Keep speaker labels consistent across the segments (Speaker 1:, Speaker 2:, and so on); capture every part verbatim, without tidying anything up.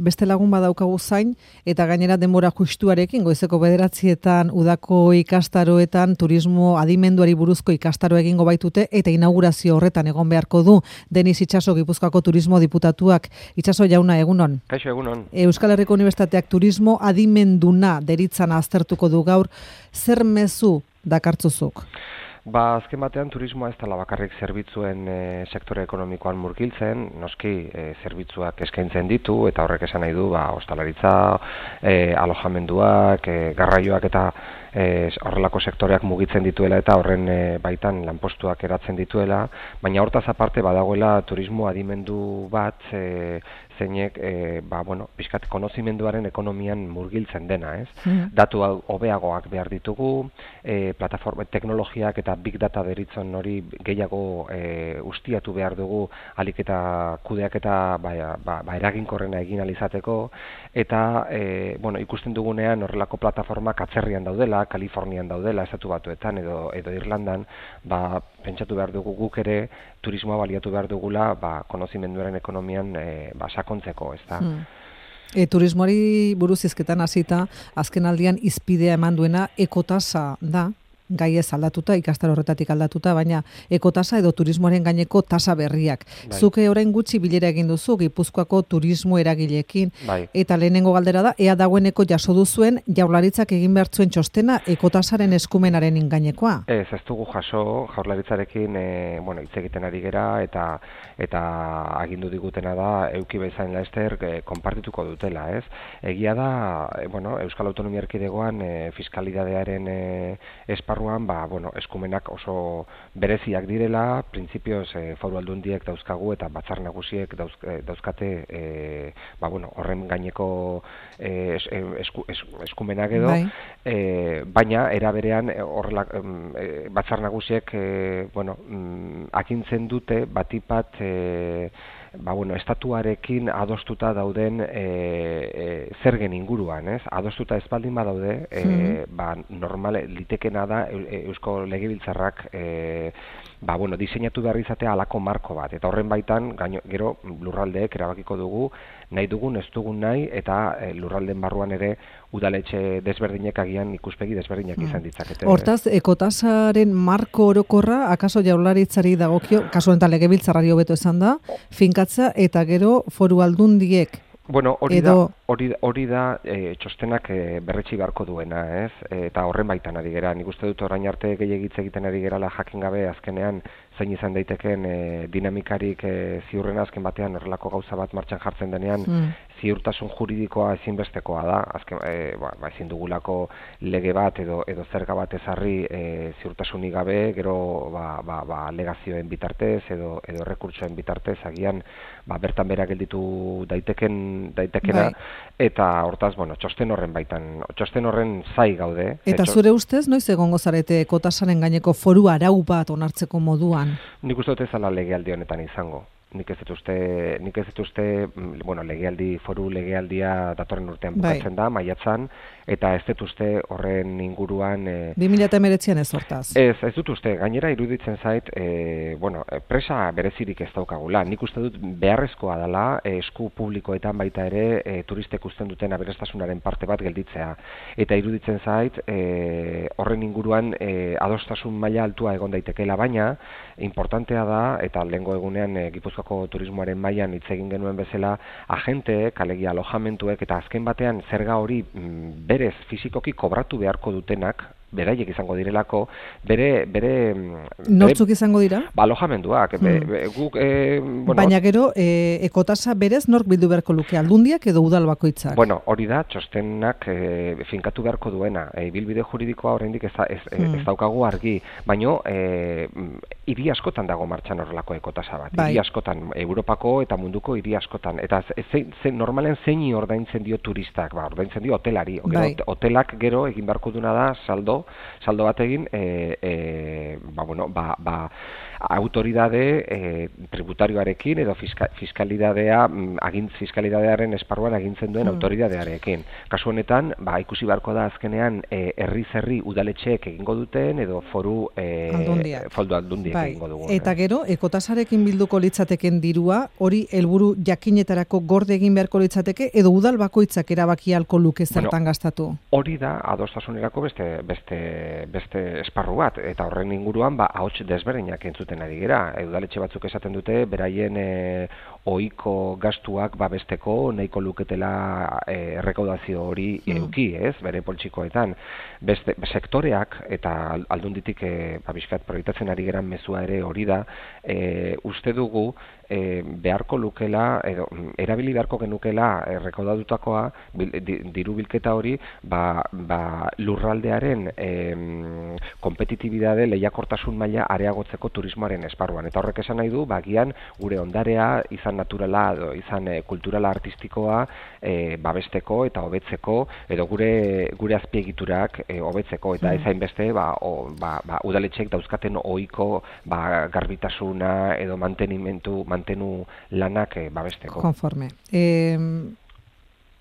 Speaker 1: beste lagun badaukagu zain, eta gainera denbora justuarekin, goizeko bederatzietan, udako ikastaroetan, turismo adimenduari buruzko ikastaro egingo baitute, eta inaugurazio horretan egon beharko du, Denis Itxaso Gipuzkoako turismo diputatuak. Itxaso jauna, egunon.
Speaker 2: Kaixo, egunon.
Speaker 1: Euskal Herriko Unibertsitateak turismo adimenduna deritzana aztertuko du gaur, zer mezu dakartzuzuk?
Speaker 2: Ba, azken batean turismoa ez dela bakarrik zerbitzuen e, sektore ekonomikoan murgiltzen, noski e, zerbitzuak eskaintzen ditu, eta horrek esan nahi du, ba, ostalaritza, e, alojamenduak, e, garraioak eta e, horrelako sektoreak mugitzen dituela eta horren e, baitan lanpostuak eratzen dituela, baina hortaz aparte badagoela turismo adimendu bat, e, zeinek, e, ba, bueno, pixkat konozimenduaren ekonomian murgiltzen dena, ez? Mm. Datu hobeagoak behar ditugu, e, plataforma, teknologiak eta big data deritzen hori gehiago e, ustiatu behar dugu alik eta kudeak eta ba, ba, ba, eraginkorrena egin alizateko, eta e, bueno, ikusten dugunean horrelako plataformak atzerrian daudela, Kalifornian daudela, estatu batuetan edo, edo Irlandan, ba, pentsatu behar dugu guk ere turismoa baliatu behar dugula ba, konozimenduaren ekonomian e, ba, sakontzeko, ez da? Hmm.
Speaker 1: E, turismoari buruz hizketan hasita, azken aldian izpidea eman duena ekotasa da, gai ez aldatuta, ikastaro horretatik aldatuta, baina ekotasa edo turismoaren gaineko tasa berriak. Bai. Zuke orain gutxi bilera egin duzu Gipuzkoako turismo eragileekin, bai. Eta lehenengo galdera da, ea dagoeneko jaso duzuen Jaurlaritzak egin behar zuen txostena ekotasaren eskumenaren ingainekoa?
Speaker 2: Ez, ez dugu jaso Jaurlaritzarekin e, bueno, hitz egiten ari gera eta eta agindu digutena da euki bezain laster e, konpartituko dutela, ez? Egia da, e, bueno, Euskal Autonomia Erkidegoan e, fiskalidadearen e, esparruan, ba, bueno, eskumenak oso bereziak direla, printzipioz e, foru aldundiek dauzkagu eta batzar nagusiek dauz, e, dauzkate e, ba, bueno, horren gaineko e, es, esku, es, eskumenak edo, bai. e, baina era berean horrela e, batzar nagusiek e, bueno, mm, akintzen dute batipat e, ba, bueno, estatuarekin adostuta dauden e, e, zergen inguruan, ez? Adostuta ez baldin badaude, e, hmm. ba, normale litekena da Eusko Legebiltzarrak e, ba, bueno, diseinatu behar izatea halako marko bat, eta horren baitan gaino, gero lurraldeek erabakiko dugu nahi dugun, ez dugun nahi, eta e, lurralden barruan ere udaletxe desberdinek agian ikuspegi desberdinak izan ditzakete.
Speaker 1: Hortaz, ekotasaren marko orokorra, akaso Jaurlaritzari dagokio, kasu honetan Legebiltzarrari hobeto esan da, finkatza eta gero foru aldundiek.
Speaker 2: Bueno, hori da, hori, hori da e, txostenak e, berretsi beharko duena, ez? E, eta horren baitan ari gera. Nik uste dut orain arte gehiagitz egiten ari gerala jakin gabe azkenean zein izan daiteken e, dinamikarik e, ziurrena azken batean horrelako gauza bat martxan jartzen denean mm. ziurtasun juridikoa ezinbestekoa da. Azken, e, ba, ba, ezin dugulako lege bat edo edo zerga bat ezarri e, ziurtasunik gabe, gero ba, ba, ba, alegazioen bitartez edo edo rekurtsoen bitartez agian ba, bertan bera gelditu daiteken daitekena, bai. Eta hortaz, bueno, txosten horren baitan, txosten horren zai gaude.
Speaker 1: Eta zure ustez, noiz egongo zarete ekotasaren gaineko foru arau bat onartzeko moduan?
Speaker 2: Nik uste dut ez ala legealdi honetan izango. Nik ez dut uste, nik ez dut uste, bueno, legealdi, foru legealdia datorren urtean bukatzen bai. Da, maiatzan, eta ez dut uste horren inguruan... E,
Speaker 1: bi mila hemeretzian ez hortaz?
Speaker 2: Ez, ez dut uste, gainera iruditzen zait, e, bueno, presa berezirik ez daukagula. Nik uste dut beharrezkoa dela, esku publikoetan baita ere, e, turistek usten duten aberastasunaren parte bat gelditzea. Eta iruditzen zait, e, horren inguruan e, adostasun maila altua egon daitekeela, baina, importantea da, eta lehengo egunean e, Gipuzkoako turismoaren mailan hitz egin genuen bezala, agenteek, alegia alojamentuek, eta azken batean zerga hori mm, berez fizikoki kobratu beharko dutenak, beraiek izango direlako, bere... bere
Speaker 1: Nortzuk izango dira?
Speaker 2: Ba, alojamenduak. Mm. Be, be, guk, e, bueno,
Speaker 1: baina gero, e, ekotasa berez nork bildu beharko luke, aldundiak edo udal bakoitzak?
Speaker 2: Bueno, hori da, txostenak e, finkatu beharko duena. E, bilbide juridikoa oraindik ez, ez, mm. ez daukagu argi, baino e, hiri askotan dago martxan horrelako ekotasa bat. Bai. Hiri askotan, Europako eta munduko hiri askotan. Eta ze, ze, normalen zeini ordaintzen dio turistak, ba, ordaintzen dio hotelari. Bai. Hotelak gero egin beharko duna da saldo saldo bat egin, e, e, ba, bueno, ba, ba, autoridade e, tributarioarekin edo fiska, fiskalidadea, agintz fiskalidadearen esparruan agintzen duen mm. autoridadearekin. Kasu honetan, ba, ikusi beharko da azkenean e, herri zerri udaletxeek egingo duten edo foru e, foldu aldundiek bai. egingo dugu.
Speaker 1: Eta gero, ekotasarekin bilduko litzateken dirua, hori helburu jakinetarako gorde egin beharko litzateke edo udal bakoitzak erabaki ahalko luke zertan bueno, gastatu?
Speaker 2: Hori da, adostasunerako beste, beste, beste esparru bat, eta horren inguruan, ba, ahots desberdinak entzuten ari gera. Udaletxe batzuk esaten dute, beraien e, ohiko gastuak babesteko nahiko luketela e, errekaudazio hori mm. eduki, ez, bere poltsikoetan. Beste, sektoreak, eta aldunditik e, babiskat proiektatzen ari geran mezua ere hori da, e, uste dugu, E, beharko lukela, edo, erabili beharko genukela errekaudatutakoa, diru bilketa hori, ba, ba, lurraldearen e, kompetitibidade lehiakortasun maila areagotzeko turismoaren esparruan. Eta horrek esan nahi du, ba, gian gure ondarea, izan naturala, edo, izan e, kulturala artistikoa, e, babesteko eta hobetzeko, edo gure, gure azpiegiturak e, hobetzeko, eta mm. ezain beste, ba, o, ba, ba, udaletxek dauzkaten ohiko ba, garbitasuna, edo mantenimentu, mantenu lanak e, babesteko.
Speaker 1: Konforme. Eh,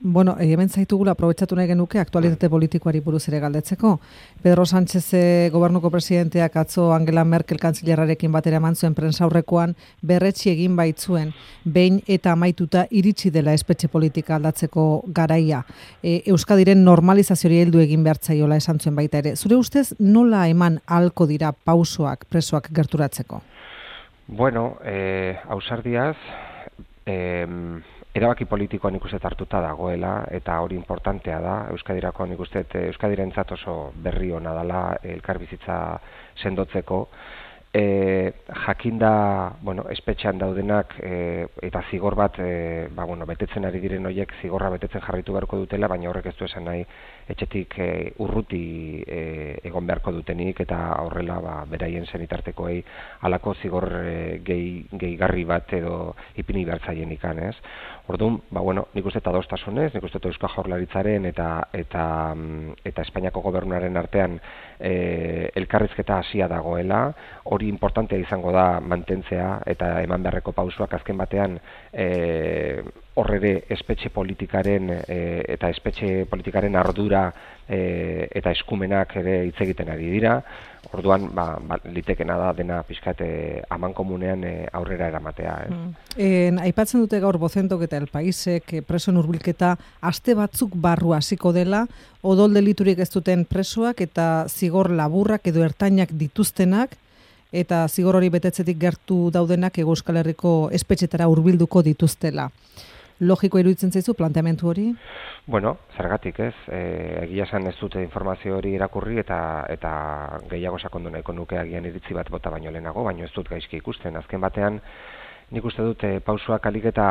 Speaker 1: bueno, hemen zaitugula aprobetxatu nahi genuke aktualitate politikoari buruz ere galdetzeko. Pedro Sánchez e, gobernuko presidenteak atzo Angela Merkel kantzilerarekin batera eman zuen prentsaurrekoan berretsi egin baitzuen behin eta amaituta iritsi dela espetxe politika aldatzeko garaia. E, Euskadiren normalizazioari heldu egin behartzaiola esan zuen baita ere. Zure ustez nola eman ahalko dira pausoak presoak gerturatzeko?
Speaker 2: Bueno, eh, ausardiaz, eh, erabaki politikoan nik uste hartuta dagoela, eta hori importantea da, Euskadirako nik uste, Euskadirentzat oso berri hona dela elkarbizitza sendotzeko, E, jakinda, bueno, espetxean daudenak e, eta zigor bat e, ba, bueno, betetzen ari diren horiek zigorra betetzen jarritu beharko dutela, baina horrek ez du esan nahi etxetik e, urruti e, egon beharko dutenik eta horrela ba, beraien zenitartekoei halako zigor e, gehi, gehigarri bat edo ipini behartzaien ikan, ez? Orduan, ba, bueno, nik uste eta adostasunez, nik uste Eusko Jaurlaritzaren eta, eta, eta Espainiako gobernuaren artean e, elkarrizketa hasia dagoela, hori importantea izango da mantentzea eta eman beharreko pausuak azken batean e, horrere espetxe politikaren e, eta espetxe politikaren ardura e, eta eskumenak ere hitz egiten ari dira. Orduan, ba, ba, litekena da dena pixkat aman komunean e, aurrera eramatea. Eh? Mm.
Speaker 1: En, aipatzen dute gaur Bozentok eta El Paisek presoen hurbilketa aste batzuk barru hasiko dela, odol deliturik ez duten presoak eta zigor laburrak edo ertainak dituztenak, eta zigor hori betetzetik gertu daudenak Hego Euskal Herriko espetxetara hurbilduko dituztela. Logiko iruditzen zaizu planteamendu hori?
Speaker 2: Bueno, zergatik ez, e, egia esan ez dute informazio hori irakurri eta eta gehiago sakondu nahiko nuke agian iritzi bat bota baino lehenago, baino ez dut gaizki ikusten. Azken batean, nik uste dut e, pausuak alik eta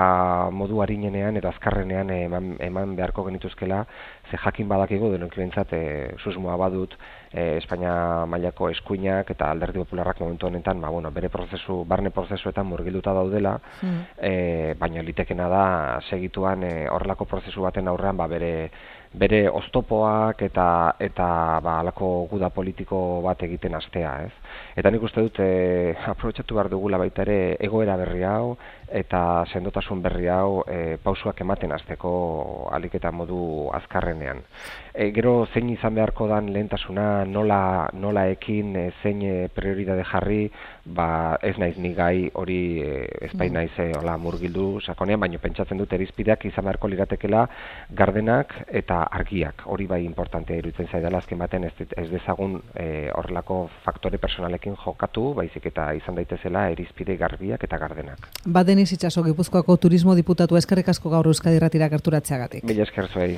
Speaker 2: modu harinenean edo azkarrenean eman, eman beharko genituzkela, ze jakin badakigu denok behintzat e, susmoa badut e, Espainia mailako eskuinak eta Alderdi Popularrak momentu honetan ba, bueno, bere prozesu, barne prozesuetan murgilduta daudela, mm. e, baina litekena da segituan e, horrelako prozesu baten aurrean ba, bere bere oztopoak eta eta ba halako guda politiko bat egiten hastea, ez? Eta nik uste dut e, aprobetxatu behar dugula baita ere egoera berri hau eta sendotasun berri hau e, pausuak ematen hasteko alik eta modu azkarrenean. E, gero zein izan beharko dan lehentasuna, nola nola ekin e, zein prioridade jarri, ba ez naiz ni gai hori e, ez bai naiz e, hola murgildu sakonean, baina pentsatzen dut irizpideak izan beharko liratekela gardenak eta argiak. Hori bai importantea iruditzen zaidala azken baten ez, ez dezagun e, horrelako faktore personalekin jokatu, baizik eta izan daitezela irizpide garbiak eta gardenak.
Speaker 1: Ba Denis Itxaso, Gipuzkoako turismo diputatu, eskerrik asko gaur Euskadi Irratira gerturatzeagatik.
Speaker 2: Mila esker zuei.